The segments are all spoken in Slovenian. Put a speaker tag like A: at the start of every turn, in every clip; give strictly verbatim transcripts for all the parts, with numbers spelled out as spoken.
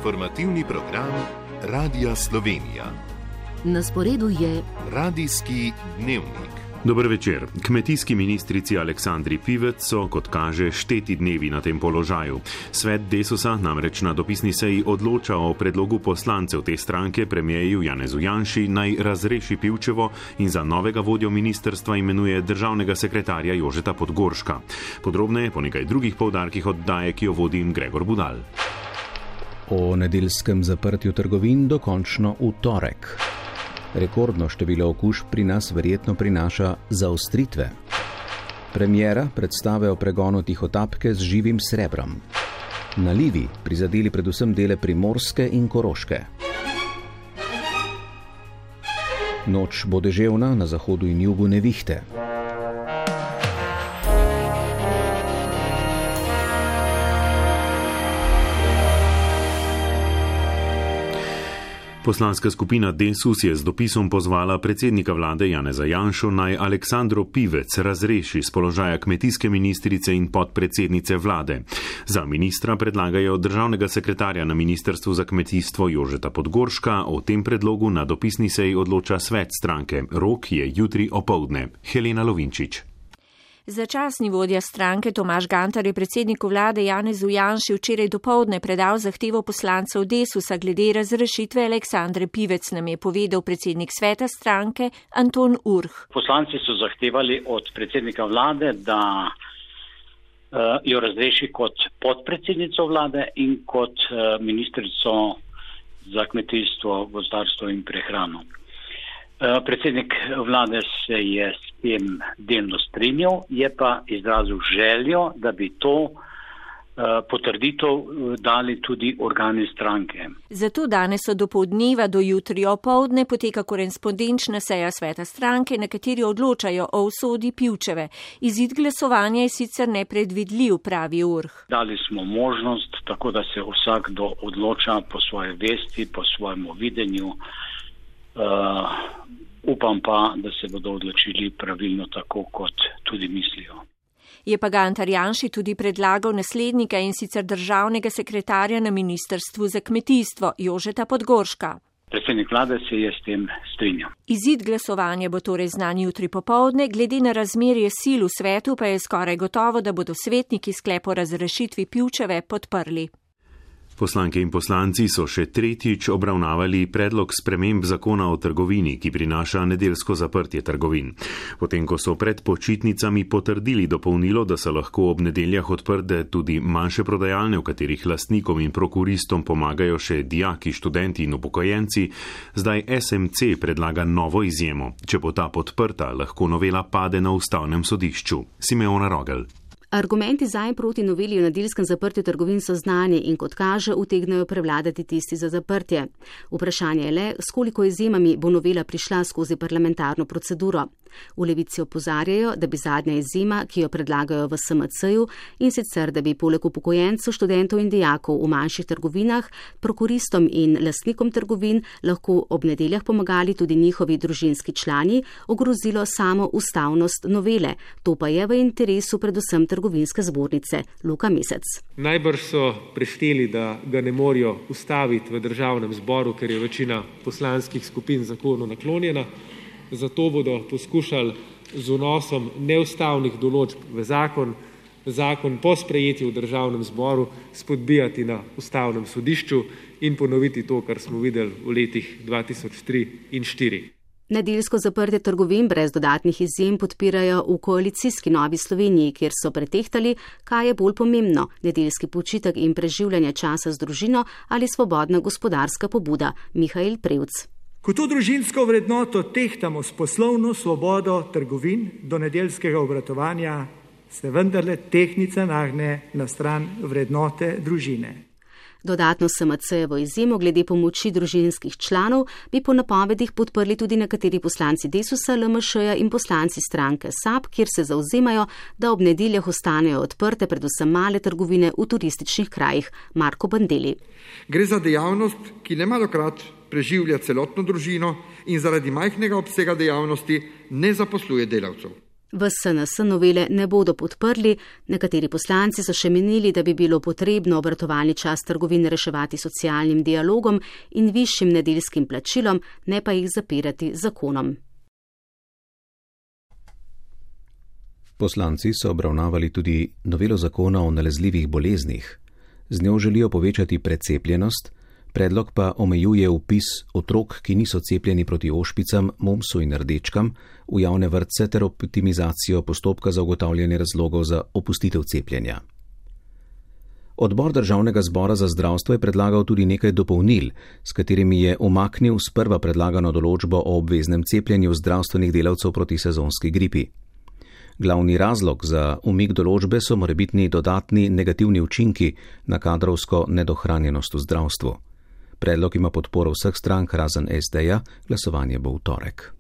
A: Informativni program Radia Slovenija.
B: Na sporedu je
A: Radijski dnevnik.
C: Dober večer. Kmetijski ministrici Aleksandri Pivec so, kot kaže, šteti dnevi na tem položaju. Svet Desusa namreč na dopisni seji odloča o predlogu poslancev te stranke premierju Janezu Janši naj razreši Pivčevo in za novega vodjo ministrstva imenuje državnega sekretarja Jožeta Podgorška. Podrobneje po nekaj drugih poudarkih oddaje, ki jo vodi Gregor Budal.
D: O nedeljskem zaprtju trgovin dokončno v torek. Rekordno število okužb pri nas verjetno prinaša zaostritve. Premiera predstave o pregonu tihotapke z živim srebrom. Nalivi prizadeli predvsem dele Primorske in Koroške. Noč bo deževna, na zahodu in jugu nevihte.
C: Poslanska skupina Desus je z dopisom pozvala predsednika vlade Janeza Janšo naj Aleksandro Pivec razreši z položaja kmetijske ministrice in podpredsednice vlade. Za ministra predlagajo državnega sekretarja na Ministrstvu za kmetijstvo Jožeta Podgorška. O tem predlogu na dopisni seji odloča svet stranke. Rok je jutri opoldne. Helena Lovinčič.
E: Začasni vodja stranke Tomaž Gantar je predsedniku vlade Janezu Janši včeraj dopoldne predal zahtevo poslancev Desusa glede razrešitve Aleksandre Pivec, nam je povedal predsednik sveta stranke Anton Urh.
F: Poslanci so zahtevali od predsednika vlade, da uh, jo razreši kot podpredsednico vlade in kot uh, ministrico za kmetijstvo, gozdarstvo in prehrano. Predsednik vlade se je s tem delno strinjal, je pa izrazil željo, da bi to potrditev dali tudi organi stranke.
E: Zato danes od dopoldneva do jutri opoldne poteka korespondenčna seja sveta stranke, na kateri odločajo o usodi Pivčeve. Izid glasovanja je sicer nepredvidljiv, pravi Urh.
F: Dali smo možnost, tako da se vsakdo odloča po svoje vesti, po svojemu videnju. Uh, upam pa, da se bodo odločili pravilno tako, kot tudi mislijo.
E: Je pa Gantar Janši tudi predlagal naslednika in sicer državnega sekretarja na Ministrstvu za kmetijstvo Jožeta Podgorška.
F: Predsednik vlade se je s tem strinjal.
E: Izid glasovanja bo torej znan jutri popoldne, glede na razmerje sil v svetu pa je skoraj gotovo, da bodo svetniki sklep o razrešitvi Pivčeve podprli.
C: Poslanke in poslanci so še tretjič obravnavali predlog sprememb zakona o trgovini, ki prinaša nedeljsko zaprtje trgovin. Potem, ko so pred počitnicami potrdili dopolnilo, da so lahko ob nedeljah odprte tudi manjše prodajalne, v katerih lastnikom in prokuristom pomagajo še dijaki, študenti in upokojenci, zdaj S M C predlaga novo izjemo. Če bo ta podprta, lahko novela pade na ustavnem sodišču. Simeona Rogel.
B: Argumenti za in proti noveli o nedeljskem zaprtju trgovin so znani in kot kaže utegnejo prevladati tisti za zaprtje. Vprašanje je le, s koliko izjemami bo novela prišla skozi parlamentarno proceduro. V Levici opozarjajo, da bi zadnja izjema, ki jo predlagajo v S M C-ju, in sicer, da bi poleg upokojencev, študentov in dijakov v manjših trgovinah, prokuristom in lastnikom trgovin lahko ob nedeljah pomagali tudi njihovi družinski člani, ogrozilo samo ustavnost novele. To pa je v interesu predvsem trgovinske zbornice. Luka Mesec.
G: Najbrž so prešteli, da ga ne morejo ustaviti v državnem zboru, ker je večina poslanskih skupin zakonu naklonjena. Zato bodo poskušali z vnosom neustavnih določb v zakon, zakon po sprejetju v državnem zboru spodbijati na ustavnem sodišču in ponoviti to, kar smo videli v letih dva tisoč tri in štiri.
B: Nedeljsko zaprtje trgovin brez dodatnih izjem podpirajo v koalicijski Novi Sloveniji, kjer so pretehtali, kaj je bolj pomembno, nedeljski počitek in preživljanje časa z družino ali svobodna gospodarska pobuda. Mihael Prevc.
H: Ko to družinsko vrednoto tehtamo s poslovno svobodo trgovin do nedeljskega obratovanja, se vendarle tehtnica nagne na stran vrednote družine.
B: Dodatno S M C-jevo izjemo glede pomoči družinskih članov bi po napovedih podprli tudi nekateri poslanci Desusa, L M Š-ja in poslanci stranke S A B, kjer se zauzemajo, da ob nedeljah ostanejo odprte predvsem male trgovine v turističnih krajih. Marko Bandeli.
I: Gre za dejavnost, ki nemalokrat preživlja celotno družino in zaradi majhnega obsega dejavnosti ne zaposluje delavcev.
B: V S N S novele ne bodo podprli, nekateri poslanci so še menili, da bi bilo potrebno obratovalni čas trgovin reševati socialnim dialogom in višjim nedeljskim plačilom, ne pa jih zapirati zakonom.
D: Poslanci so obravnavali tudi novelo zakona o nalezljivih boleznih. Z njo želijo povečati precepljenost, predlog pa omejuje vpis otrok, ki niso cepljeni proti ošpicam, mumsu in rdečkam, v javne vrtce ter optimizacijo postopka za ugotavljanje razlogov za opustitev cepljenja. Odbor Državnega zbora za zdravstvo je predlagal tudi nekaj dopolnil, s katerimi je umaknil sprva predlagano določbo o obveznem cepljenju zdravstvenih delavcev proti sezonski gripi. Glavni razlog za umik določbe so morebitni dodatni negativni učinki na kadrovsko nedohranjenost v zdravstvu. Predlog ima podporo vseh strank razen S D-ja, glasovanje bo v torek.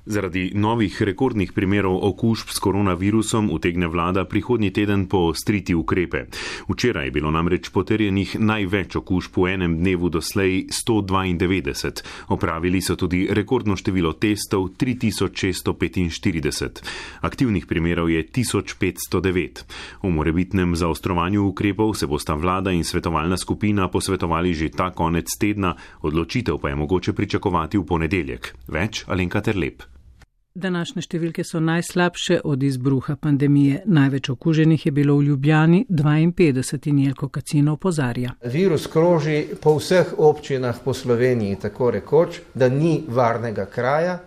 C: Zaradi novih rekordnih primerov okužb s koronavirusom utegne vlada prihodnji teden poostriti ukrepe. Včeraj je bilo namreč potrjenih največ okužb v enem dnevu doslej sto dvaindevetdeset. Opravili so tudi rekordno število testov tri tisoč šeststo petinštirideset. Aktivnih primerov je tisoč petsto devet. O morebitnem zaostrovanju ukrepov se bosta vlada in svetovalna skupina posvetovali že ta konec tedna, odločitev pa je mogoče pričakovati v ponedeljek. Več Alenka Terlep.
J: Današnje številke so najslabše od izbruha pandemije. Največ okuženih je bilo v Ljubljani dvainpetdeset in Jelko Kacin opozarja.
K: Virus kroži po vseh občinah po Sloveniji, tako rekoč, da ni varnega kraja.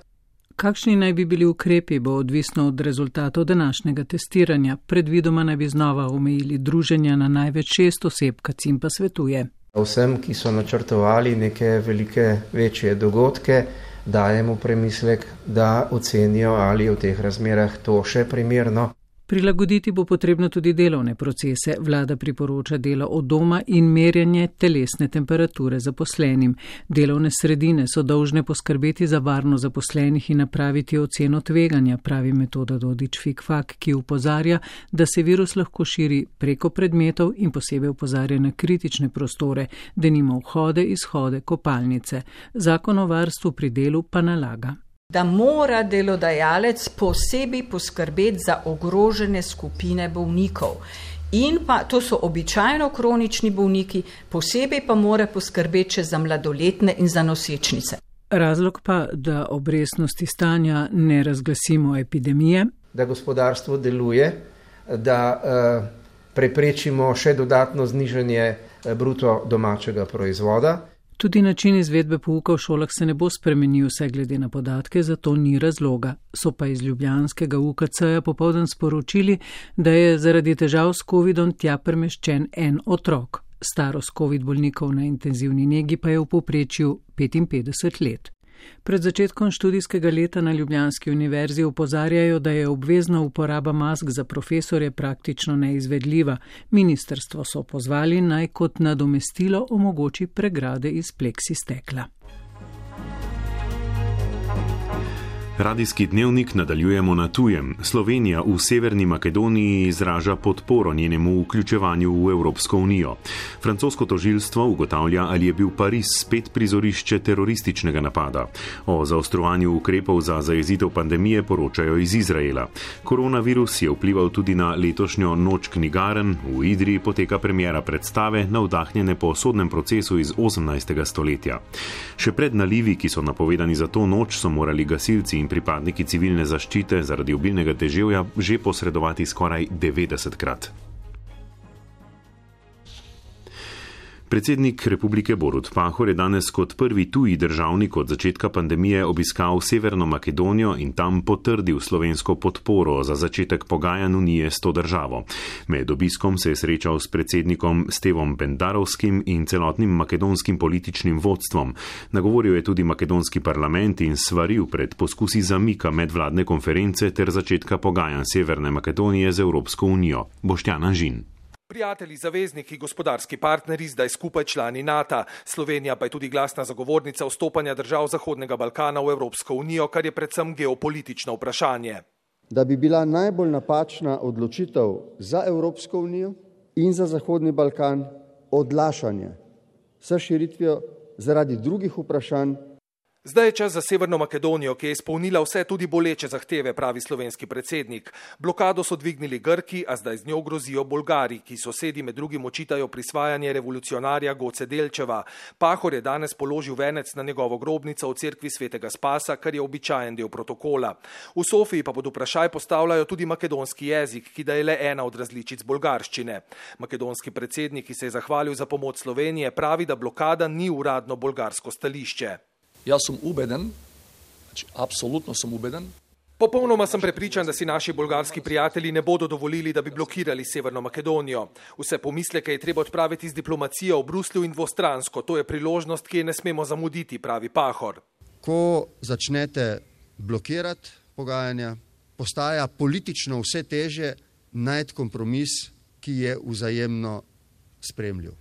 J: Kakšni naj bi bili ukrepi, bo odvisno od rezultatov današnjega testiranja. Predvidoma naj bi znova omejili druženja na največ šest oseb, Kacin pa svetuje.
K: Vsem, ki so načrtovali neke velike, večje dogodke, dajemo premislek, da ocenijo, ali je v teh razmerah to še primerno.
J: Prilagoditi bo potrebno tudi delovne procese. Vlada priporoča delo od doma in merjanje telesne temperature zaposlenim. Delovne sredine so dolžne poskrbeti za varnost zaposlenih in napraviti oceno tveganja, pravi Metoda Dodič-Fikfak, ki opozarja, da se virus lahko širi preko predmetov in posebej opozarja na kritične prostore, denimo vhode, izhode, kopalnice. Zakon o varstvu pri delu pa nalaga,
L: da mora delodajalec posebej poskrbeti za ogrožene skupine bolnikov. In pa to so običajno kronični bolniki, posebej pa mora poskrbeti še za mladoletne in za nosečnice.
J: Razlog pa, da ob resnosti stanja ne razglasimo epidemije,
K: da gospodarstvo deluje, da uh, preprečimo še dodatno znižanje bruto domačega proizvoda.
J: Tudi način izvedbe pouka v šolah se ne bo spremenil, vse glede na podatke, zato ni razloga. So pa iz ljubljanskega U K C-ja popoldan sporočili, da je zaradi težav s covidom tja premeščen en otrok. Starost covid bolnikov na intenzivni negi pa je v povprečju petinpetdeset let. Pred začetkom študijskega leta na Ljubljanski univerzi opozarjajo, da je obvezna uporaba mask za profesorje praktično neizvedljiva. Ministrstvo so pozvali, naj kot nadomestilo omogoči pregrade iz pleksistekla.
C: Radijski dnevnik nadaljujemo na tujem. Slovenija v Severni Makedoniji izraža podporo njenemu vključevanju v Evropsko unijo. Francosko tožilstvo ugotavlja, ali je bil Pariz spet prizorišče terorističnega napada. O zaostrovanju ukrepov za zajezitev pandemije poročajo iz Izraela. Koronavirus je vplival tudi na letošnjo noč knjigaren. V Idriji poteka premiera predstave, navdahnjene po sodnem procesu iz osemnajstega stoletja. Še pred nalivi, ki so napovedani za to noč, so morali gasilci in pripadniki civilne zaščite zaradi obilnega deževja že posredovati skoraj devetdesetkrat. Predsednik Republike Borut Pahor je danes kot prvi tuji državnik od začetka pandemije obiskal Severno Makedonijo in tam potrdil slovensko podporo za začetek pogajanj unije s to državo. Med obiskom se je srečal s predsednikom Stevom Pendarovskim in celotnim makedonskim političnim vodstvom. Nagovoril je tudi makedonski parlament in svaril pred poskusi zamika medvladne konference ter začetka pogajanj Severne Makedonije z Evropsko unijo. Boštjan Anžin.
M: Prijatelji, zavezniki, gospodarski partneri, zdaj skupaj člani NATO. Slovenija pa je tudi glasna zagovornica vstopanja držav Zahodnega Balkana v Evropsko unijo, kar je predvsem geopolitično vprašanje.
N: Da bi bila najbolj napačna odločitev za Evropsko unijo in za Zahodni Balkan odlašanje s širitvijo zaradi drugih vprašanj.
M: Zdaj je čas za Severno Makedonijo, ki je izpolnila vse tudi boleče zahteve, pravi slovenski predsednik. Blokado so dvignili Grki, a zdaj z njo grozijo Bolgari, ki sosedi med drugim očitajo prisvajanje revolucionarja Goce Delčeva. Pahor je danes položil venec na njegovo grobnico v cerkvi Svetega Spasa, kar je običajen del protokola. V Sofiji pa pod vprašaj postavljajo tudi makedonski jezik, ki da je le ena od različic bolgarščine. Makedonski predsednik, ki se je zahvalil za pomoč Slovenije, pravi, da blokada ni uradno bolgarsko stališče.
O: Jaz sem ubeden, znači apsolutno sem ubeden.
M: Popolnoma sem prepričan, da si naši bolgarski prijatelji ne bodo dovolili, da bi blokirali Severno Makedonijo. Vse pomisleke je treba odpraviti z diplomacijo v Bruslju in dvostransko. To je priložnost, ki je ne smemo zamuditi, pravi Pahor.
N: Ko začnete blokirati pogajanja, postaja politično vse težje najti kompromis, ki je vzajemno sprejemljiv.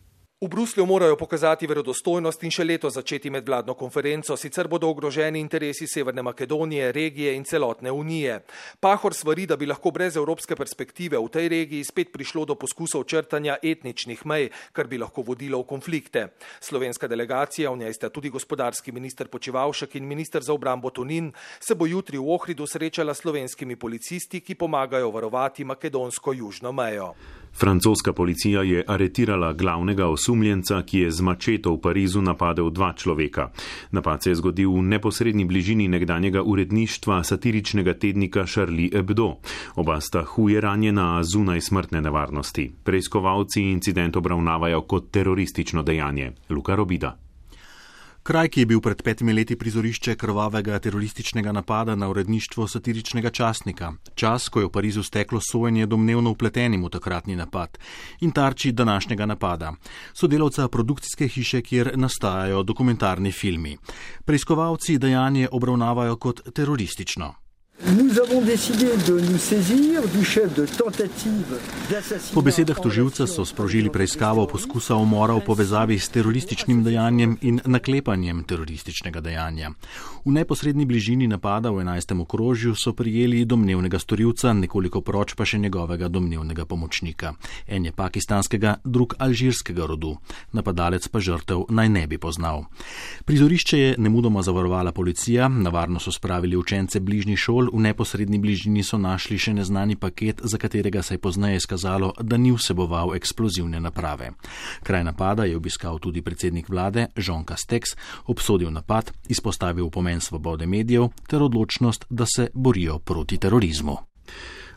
M: V Bruslju morajo pokazati verodostojnost in še leto začeti medvladno konferenco, sicer bodo ogroženi interesi Severne Makedonije, regije in celotne unije. Pahor svari, da bi lahko brez evropske perspektive v tej regiji spet prišlo do poskusov črtanja etničnih mej, kar bi lahko vodilo v konflikte. Slovenska delegacija, v njej sta tudi gospodarski minister Počivavšek in minister za obrambo Tonin, se bo jutri v Ohridu srečala s slovenskimi policisti, ki pomagajo varovati makedonsko južno mejo.
C: Francoska policija je aretirala glavnega osumljenca, ki je z mačeto v Parizu napadel dva človeka. Napad se je zgodil v neposredni bližini nekdanjega uredništva satiričnega tednika Charlie Hebdo. Oba sta huje ranjena, a zunaj smrtne nevarnosti. Preiskovalci incident obravnavajo kot teroristično dejanje. Luka Robida.
P: Kraj, ki je bil pred petimi leti prizorišče krvavega terorističnega napada na uredništvo satiričnega časnika. Čas, ko je v Parizu steklo sojenje domnevno vpletenim v takratni napad in tarči današnjega napada. Sodelavca produkcijske hiše, kjer nastajajo dokumentarni filmi. Preiskovalci dejanje obravnavajo kot teroristično. Po besedah toživca so sprožili preiskavo poskusa umora v povezavi s terorističnim dejanjem in naklepanjem terorističnega dejanja. V neposredni bližini napada v enajstem okrožju so prijeli domnevnega storilca, nekoliko proč pa še njegovega domnevnega pomočnika. En je pakistanskega, drug alžirskega rodu. Napadalec pa žrtev naj ne bi poznal. Prizorišče je nemudoma zavarovala policija, na varno so spravili učence bližnjih šol. V neposredni bližini so našli še neznani paket, za katerega se je pozneje izkazalo, da ni vseboval eksplozivne naprave. Kraj napada je obiskal tudi predsednik vlade Jean Castex, obsodil napad, izpostavil pomen svobode medijev ter odločnost, da se borijo proti terorizmu.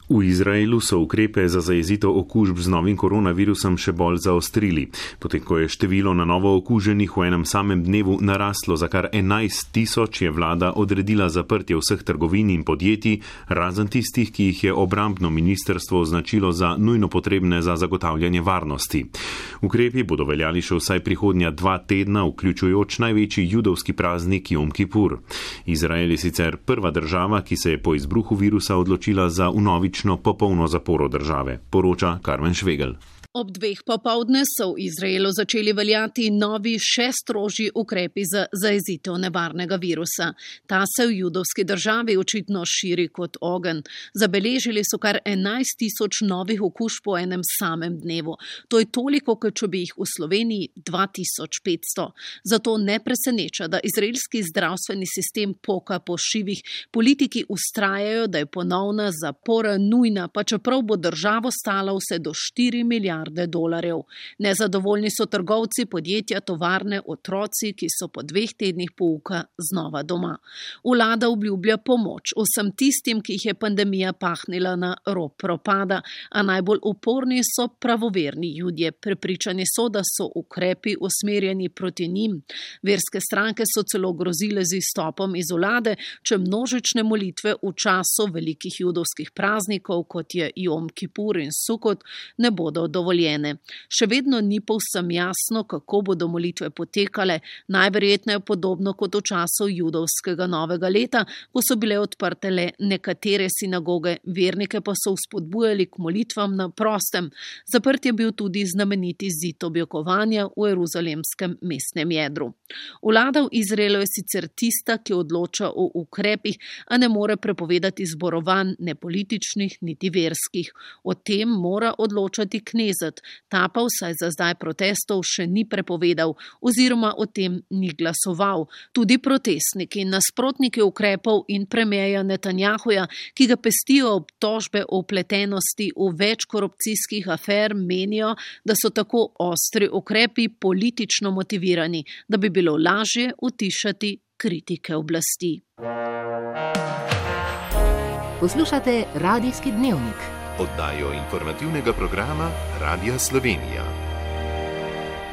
C: V Izraelu so ukrepe za zajezitev okužb z novim koronavirusom še bolj zaostrili, potem ko je število na novo okuženih v enem samem dnevu naraslo za kar enajst tisoč, je vlada odredila zaprtje vseh trgovin in podjetij, razen tistih, ki jih je obrambno ministrstvo označilo za nujno potrebne za zagotavljanje varnosti. Ukrepi bodo veljali še vsaj prihodnja dva tedna, vključujoč največji judovski praznik Jom Kipur. Izrael je sicer prva država, ki se je po izbruhu virusa odločila za vnovično popolno zaporo države, poroča Karmen Švegel.
Q: Ob dveh popovdne so v Izraelu začeli veljati novi še strožji ukrepi za zajezitev nevarnega virusa. Ta se v judovski državi očitno širi kot ogenj. Zabeležili so kar enajst tisoč novih okužb po enem samem dnevu. To je toliko, kot če bi jih v Sloveniji dva tisoč petsto. Zato ne preseneča, da izraelski zdravstveni sistem poka po šivih. Politiki ustrajajo, da je ponovna zapora nujna, pa čeprav bo državo stala vse do štiri milijarde dolarjev. Nezadovoljni so trgovci, podjetja, tovarne, otroci, ki so po dveh tednih pouka znova doma. Vlada obljublja pomoč vsem tistim, ki jih je pandemija pahnila na rob propada, a najbolj uporni so pravoverni Judje. Prepričani so, da so ukrepi usmerjeni proti njim. Verske stranke so celo grozile z izstopom iz vlade, če množične molitve v času velikih judovskih praznikov, kot je Jom Kipur in Sukot, ne bodo dovoljene. Še vedno ni povsem jasno, kako bodo molitve potekale, najverjetneje podobno kot v času judovskega novega leta, ko so bile odprte le nekatere sinagoge, vernike pa so vzpodbujali k molitvam na prostem. Zaprt je bil tudi znameniti zid objokovanja v jeruzalemskem mestnem jedru. Vlada v Izraelu je sicer tista, ki odloča o ukrepih, a ne more prepovedati zborovanj, ne političnih, niti verskih. O tem mora odločati knez, trideset. Ta pa vsaj za zdaj protestov še ni prepovedal oziroma o tem ni glasoval. Tudi protestniki, nasprotniki ukrepov in premierja Netanjahuja, ki ga pestijo obtožbe o vpletenosti v več korupcijskih afer, menijo, da so tako ostri ukrepi politično motivirani, da bi bilo lažje utišati kritike oblasti.
R: Poslušate Radijski dnevnik.
A: Oddajo informativnega programa Radia Slovenija.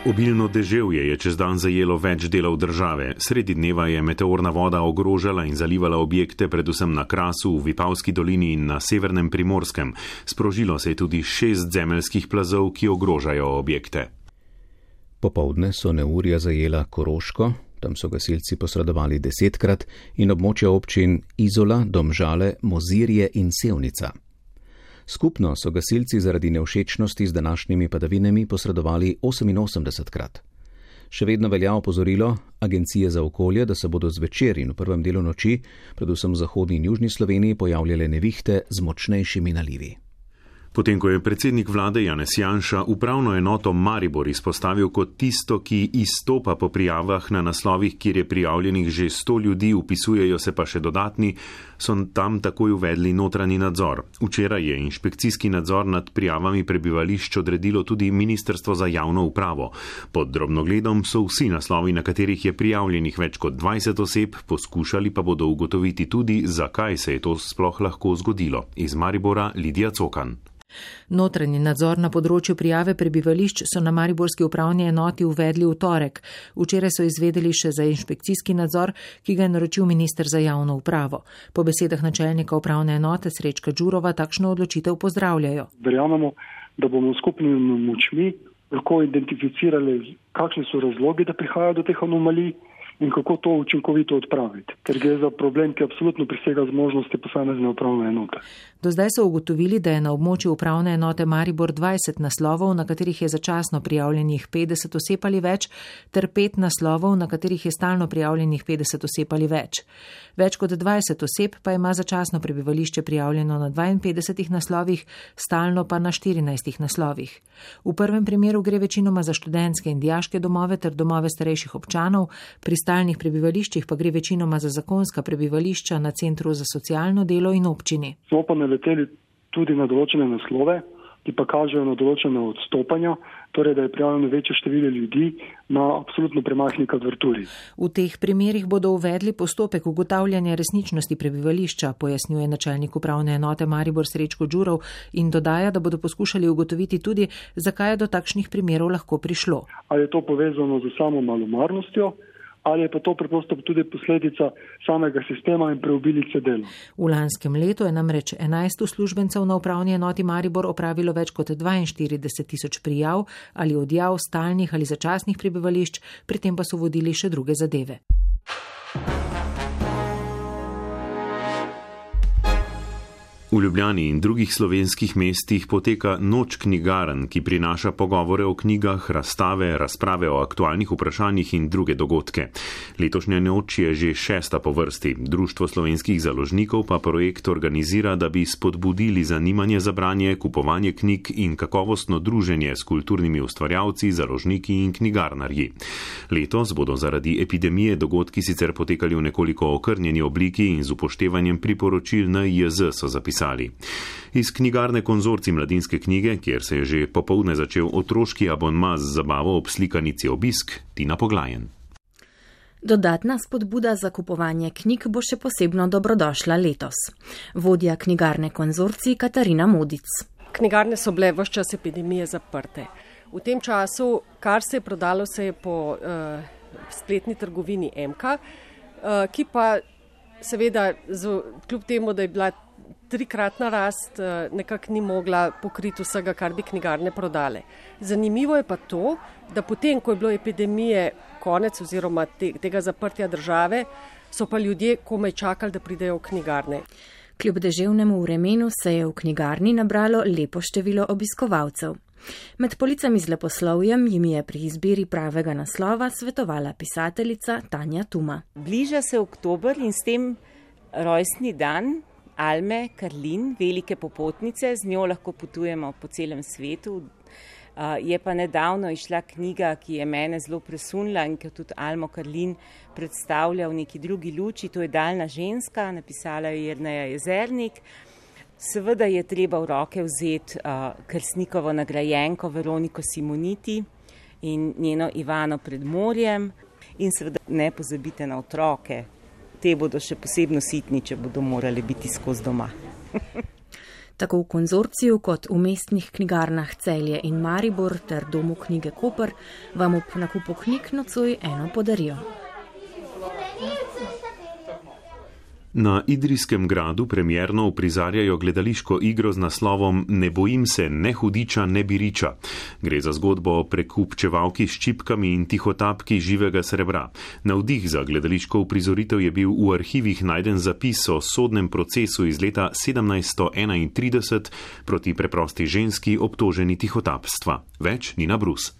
C: Obilno deževje je čez dan zajelo več delov države. Sredi dneva je meteorna voda ogrožala in zalivala objekte, predvsem na Krasu, v Vipavski dolini in na severnem Primorskem. Sprožilo se je tudi šest zemeljskih plazov, ki ogrožajo objekte.
D: Popoldne so neurja zajela Koroško, tam so gasilci posredovali desetkrat, in območja občin Izola, Domžale, Mozirje in Sevnica. Skupno so gasilci zaradi nevšečnosti z današnjimi padavinami posredovali oseminosemdesetkrat. Še vedno velja opozorilo Agencije za okolje, da se bodo zvečer in v prvem delu noči, predvsem v zahodni in južni Sloveniji, pojavljale nevihte z močnejšimi nalivi.
C: Potem, ko je predsednik vlade Janez Janša upravno enoto Maribor izpostavil kot tisto, ki izstopa po prijavah na naslovih, kjer je prijavljenih že sto ljudi, upisujejo se pa še dodatni, so tam takoj uvedli notranji nadzor. Včeraj je inšpekcijski nadzor nad prijavami prebivališč odredilo tudi Ministrstvo za javno upravo. Pod drobnogledom so vsi naslovi, na katerih je prijavljenih več kot dvajset oseb, poskušali pa bodo ugotoviti tudi, zakaj se je to sploh lahko zgodilo. Iz Maribora Lidija Cokan.
S: Notranji nadzor na področju prijave prebivališč so na mariborski upravni enoti uvedli v torek. Včeraj so izvedeli še za inšpekcijski nadzor, ki ga je naročil minister za javno upravo. Po besedah načelnika upravne enote Srečka Đurova takšno odločitev pozdravljajo.
T: Verjamemo, da bomo skupnimi močmi lahko identificirali, kakšni so razlogi, da prihaja do teh anomalij in kako to učinkovito odpraviti, ker gre za problem, ki absolutno presega zmožnosti posamezne upravne enote.
S: Do zdaj so ugotovili, da je na območju upravne enote Maribor dvajset naslovov, na katerih je začasno prijavljenih petdeset oseb ali več, ter pet naslovov, na katerih je stalno prijavljenih petdeset oseb ali več. Več kot dvajset oseb pa ima začasno prebivališče prijavljeno na dvainpetdesetih naslovih, stalno pa na štirinajstih naslovih. V prvem primeru gre večinoma za študentske in dijaške domove ter domove starejših občanov, pri stalnih prebivališčih pa gre večinoma za zakonska prebivališča na Centru za socialno delo in občini.
T: Smo pa naleteli tudi na določene naslove, ki pa kažejo na določene odstopanja, torej da je prijavljeno večje število ljudi na absolutno premajhni kvadraturi.
S: V teh primerih bodo uvedli postopek ugotavljanja resničnosti prebivališča, pojasnjuje načelnik upravne enote Maribor Srečko Đurov in dodaja, da bodo poskušali ugotoviti tudi, zakaj je do takšnih primerov lahko prišlo.
T: Ali je to povezano z samo malomarnostjo, ali je pa to preprosto tudi posledica samega sistema in preobilice dela.
S: V lanskem letu je namreč enajst uslužbencev na upravni enoti Maribor opravilo več kot dvainštirideset tisoč prijav ali odjav stalnih ali začasnih prebivališč, pri tem pa so vodili še druge zadeve.
C: V Ljubljani in drugih slovenskih mestih poteka Noč knjigarn, ki prinaša pogovore o knjigah, razstave, razprave o aktualnih vprašanjih in druge dogodke. Letošnja noč je že šesta po vrsti. Društvo slovenskih založnikov pa projekt organizira, da bi spodbudili zanimanje za branje, kupovanje knjig in kakovostno druženje s kulturnimi ustvarjalci, založniki in knjigarnarji. Letos bodo zaradi epidemije dogodki sicer potekali v nekoliko okrnjeni obliki in z upoštevanjem priporočil N I J Z, so zapisali. Iz knjigarne Konzorcij mladinske knjige, kjer se je že popoldne začel otroški abonma z zabavo ob slikanici Obisk, Tina Poglajen.
U: Dodatna spodbuda za kupovanje knjig bo še posebno dobrodošla letos. Vodja knjigarne Konzorcij Katarina Modic.
V: Knjigarne so bile ves čas epidemije zaprte. V tem času, kar se je prodalo, se je po uh, spletni trgovini M K, uh, ki pa seveda, z, kljub temu, da je bila trikratna rast, nekako ni mogla pokriti vsega, kar bi knjigarne prodale. Zanimivo je pa to, da potem, ko je bilo epidemije konec oziroma te, tega zaprtja države, so pa ljudje komaj čakali, da pridejo v knjigarne.
U: Kljub deževnemu vremenu se je v knjigarni nabralo lepo število obiskovalcev. Med policami z leposlovjem jim je pri izbiri pravega naslova svetovala pisateljica Tanja Tuma.
W: Bliža se oktober in s tem rojstni dan Alme Karlin, velike popotnice, z njo lahko potujemo po celem svetu, Je pa nedavno išla knjiga, ki je mene zelo presunila in ki tudi Almo Karlin predstavlja v neki drugi luči, to je Daljna ženska, napisala je Jerneja Jezernik. Seveda je treba v roke vzeti Krstnikovo nagrajenko Veroniko Simoniti in njeno Ivano pred morjem in seveda ne pozabite na otroke. Te bodo še posebno sitni, če bodo morali biti skozi doma.
U: Tako v konzorciju kot v mestnih knjigarnah Celje in Maribor ter Domu knjige Koper vam ob nakupu knjig nocoj eno podarijo.
C: Na Idrijskem gradu premierno uprizarjajo gledališko igro z naslovom Ne bojim se ne hudiča, ne biriča. Gre za zgodbo o prekupčevalki s čipkami in tihotapki živega srebra. Navdih za gledališko uprizoritev je bil v arhivih najden zapis o sodnem procesu iz leta sedemnajststo enaintrideset proti preprosti ženski obtoženi tihotapstva. Več Nina Brus.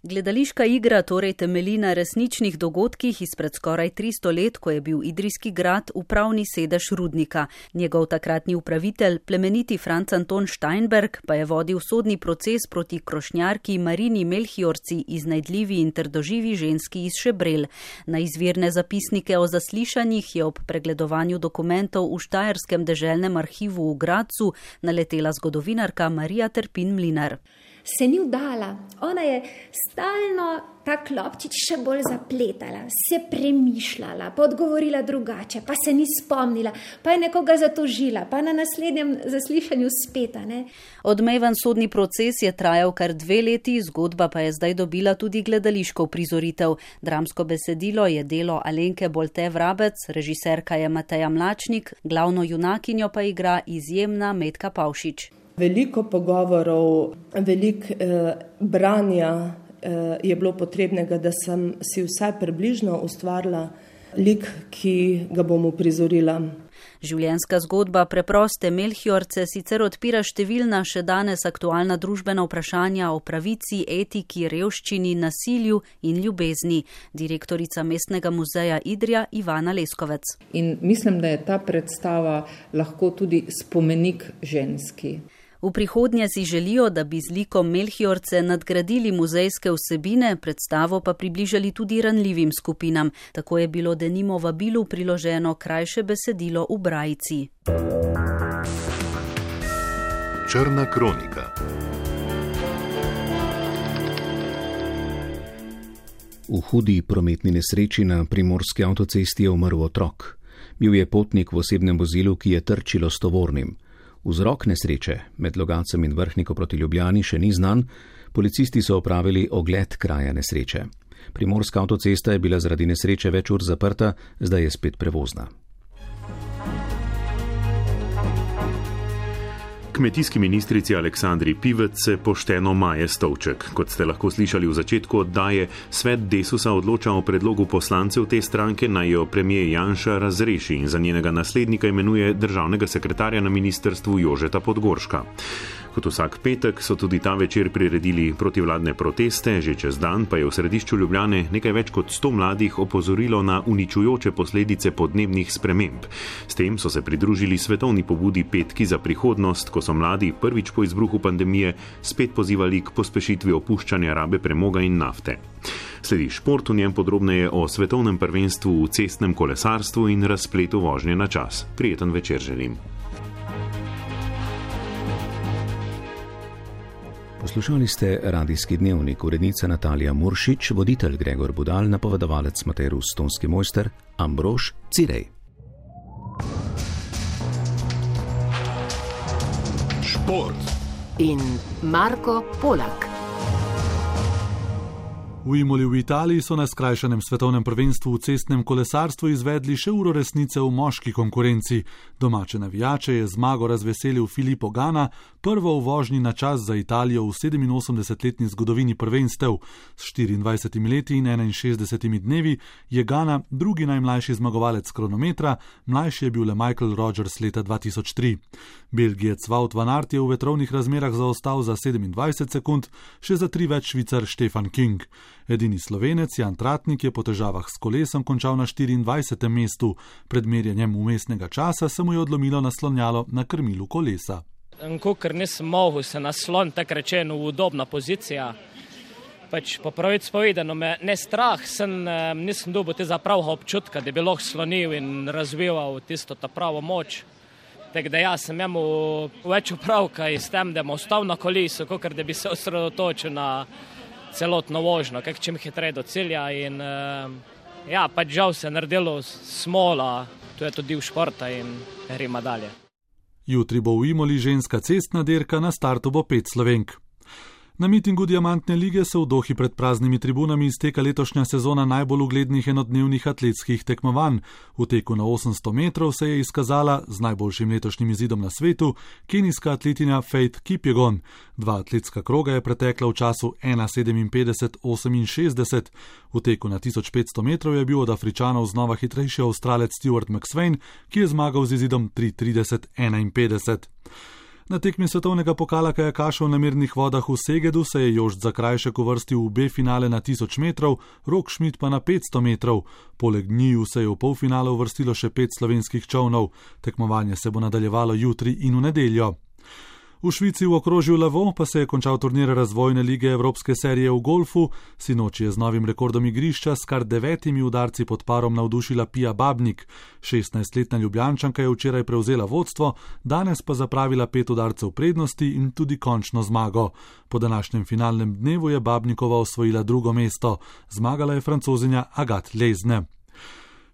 E: Gledališka igra torej temelji na resničnih dogodkih izpred skoraj tristo let, ko je bil Idrijski grad upravni sedež rudnika. Njegov takratni upravitelj, plemeniti Franc Anton Steinberg, pa je vodil sodni proces proti krošnjarki Marini Melchiorci, iznajdljivi in trdoživi ženski iz Šebrel. Na izvirne zapisnike o zaslišanjih je ob pregledovanju dokumentov v Štajerskem deželnem arhivu v Gradcu naletela zgodovinarka Marija Terpin Mlinar.
F: Se ni vdala, ona je stalno ta klopčič še bolj zapletala, se premišljala, pa odgovorila drugače, pa se ni spomnila, pa je nekoga zatožila, pa na naslednjem zaslišanju spet, ne.
E: Odmeven sodni proces je trajal kar dve leti, zgodba pa je zdaj dobila tudi gledališko uprizoritev. Dramsko besedilo je delo Alenke Bolte Vrabec, režiserka je Mateja Mlačnik, glavno junakinjo pa igra izjemna Metka Pavšič.
G: Veliko pogovorov, veliko eh, branja eh, je bilo potrebnega, da sem si vsaj približno ustvarila lik, ki ga bom uprizorila.
E: Življenjska zgodba preproste Melchiorce sicer odpira številna še danes aktualna družbena vprašanja o pravici, etiki, revščini, nasilju in ljubezni. Direktorica Mestnega muzeja Idrija Ivana Leskovec.
X: In mislim, da je ta predstava lahko tudi spomenik ženski.
E: V prihodnje si želijo, da bi z likom Melchiorce nadgradili muzejske vsebine, predstavo pa približali tudi ranljivim skupinam. Tako je bilo denimo vabilu priloženo krajše besedilo v brajici.
A: Črna kronika.
D: V hudi prometni nesreči na primorski avtocesti je umrl otrok. Bil je potnik v osebnem vozilu, ki je trčilo s tovornim. Vzrok nesreče med Logatcem in Vrhniko proti Ljubljani še ni znan, policisti so opravili ogled kraja nesreče. Primorska avtocesta je bila zaradi nesreče več ur zaprta, zdaj je spet prevozna.
C: Kmetijski ministrici Aleksandri Pivec se pošteno maje stolček. Kot ste lahko slišali v začetku oddaje, svet Desusa odloča o predlogu poslancev te stranke, naj jo premijer Janša razreši in za njenega naslednika imenuje državnega sekretarja na ministrstvu Jožeta Podgorška. Kot vsak petek so tudi ta večer priredili protivladne proteste, že čez dan pa je v središču Ljubljane nekaj več kot sto mladih opozorilo na uničujoče posledice podnebnih sprememb. S tem so se pridružili svetovni pobudi Petki za prihodnost, ko so mladi prvič po izbruhu pandemije spet pozivali k pospešitvi opuščanja rabe premoga in nafte. Sledi šport, v njem podrobneje o svetovnem prvenstvu v cestnem kolesarstvu in razpletu vožnje na čas. Prijeten večer želim.
D: Poslušali ste radijski dnevnik, urednica Natalija Muršič, voditelj Gregor Budal, napovedovalec Matej Rus, tonski mojster Ambrož Cirej.
R: Šport in Marko Polak.
Y: V Imoli v Italiji so na skrajšanem svetovnem prvenstvu v cestnem kolesarstvu izvedli še uro resnice v moški konkurenci. Domače navijače je zmago razveselil Filippo Ganna, prvo v vožnji na čas za Italijo v sedeminosemdesetletni zgodovini prvenstev. S štiriindvajsetimi leti in enainšestdesetimi dnevi je Ganna drugi najmlajši zmagovalec kronometra, mlajši je bil le Michael Rogers leta dva tisoč tri. Belgijec Wout van Aert je v vetrovnih razmerah zaostal za sedemindvajset sekund, še za tri več Švicar Stefan King. Edini Slovenec Jan Tratnik je po težavah s kolesom končal na štiriindvajsetem mestu. Pred merjenjem vmesnega časa se mu je odlomilo naslonjalo na krmilu kolesa.
B: Ker nisem mogel se nasloniti, tako rečeno, v udobna pozicija. Pač po pravici povedano me ne strah, sem, nisem dobil tega pravega občutka, da bi lahko slonil in razvival tisto ta pravo moč. Tako da jaz sem imel več upravka s tem, da bom ostal na kolesu, kot da bi se osredotočil na celotno vožnjo, kak čim hitreje do cilja. In ja, pač žal se je naredilo smola, to je tudi v športa in gremo dalje.
Y: Jutri bo v Imoli ženska cestna dirka, na startu bo pet Slovenk. Na mitingu Diamantne lige se v Dohi pred praznimi tribunami izteka letošnja sezona najbolj uglednih enodnevnih atletskih tekmovanj. V teku na osemsto metrov se je izkazala z najboljšim letošnjim izidom na svetu kenijska atletinja Faith Kipyegon. Dva atletska kroga je pretekla v času ena sedeminpetdeset oseminšestdeset. V teku na tisoč petsto metrov je bil od Afričanov znova hitrejši Avstralec Stuart McSweyn, ki je zmagal z izidom tri trideset enainpetdeset. Na tekmi svetovnega pokala kajakašev na mirnih vodah v Segedu se je Jošt Zakrajšek uvrstil v B finale na tisoč metrov, Rok Šmit pa na petsto metrov. Poleg njiju se je v polfinale uvrstilo še pet slovenskih čolnov. Tekmovanje se bo nadaljevalo jutri in v nedeljo. V Švici v okrožju Lavo pa se je končal turnir razvojne lige Evropske serije v golfu. Sinoči je z novim rekordom igrišča s kar devetimi udarci pod parom navdušila Pija Babnik. šestnajstletna Ljubljančanka je včeraj prevzela vodstvo, danes pa zapravila pet udarcev prednosti in tudi končno zmago. Po današnjem finalnem dnevu je Babnikova osvojila drugo mesto. Zmagala je Francozinja Agathe Lezne.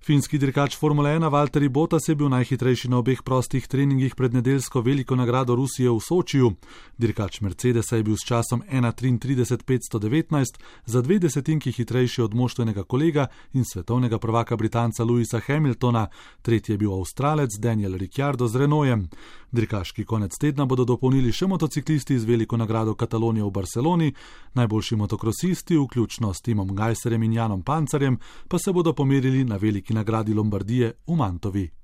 Y: Finski dirkač Formule ena Valtteri Bottas je bil najhitrejši na obeh prostih treningih pred nedeljsko veliko nagrado Rusije v Sočiju. Dirkač Mercedesa je bil s časom ena triintrideset petsto devetnajst za dve desetinki hitrejši od moštvenega kolega in svetovnega prvaka Britanca Lewisa Hamiltona, tretji je bil Avstralec Daniel Ricciardo z Renaultem. Dirkaški konec tedna bodo dopolnili še motociklisti z veliko nagrado Katalonije v Barceloni, najboljši motokrosisti, vključno s Timom Gajserjem in Janom Pancarjem, pa se bodo pomerili na veliki nagradi Lombardije v Mantovi.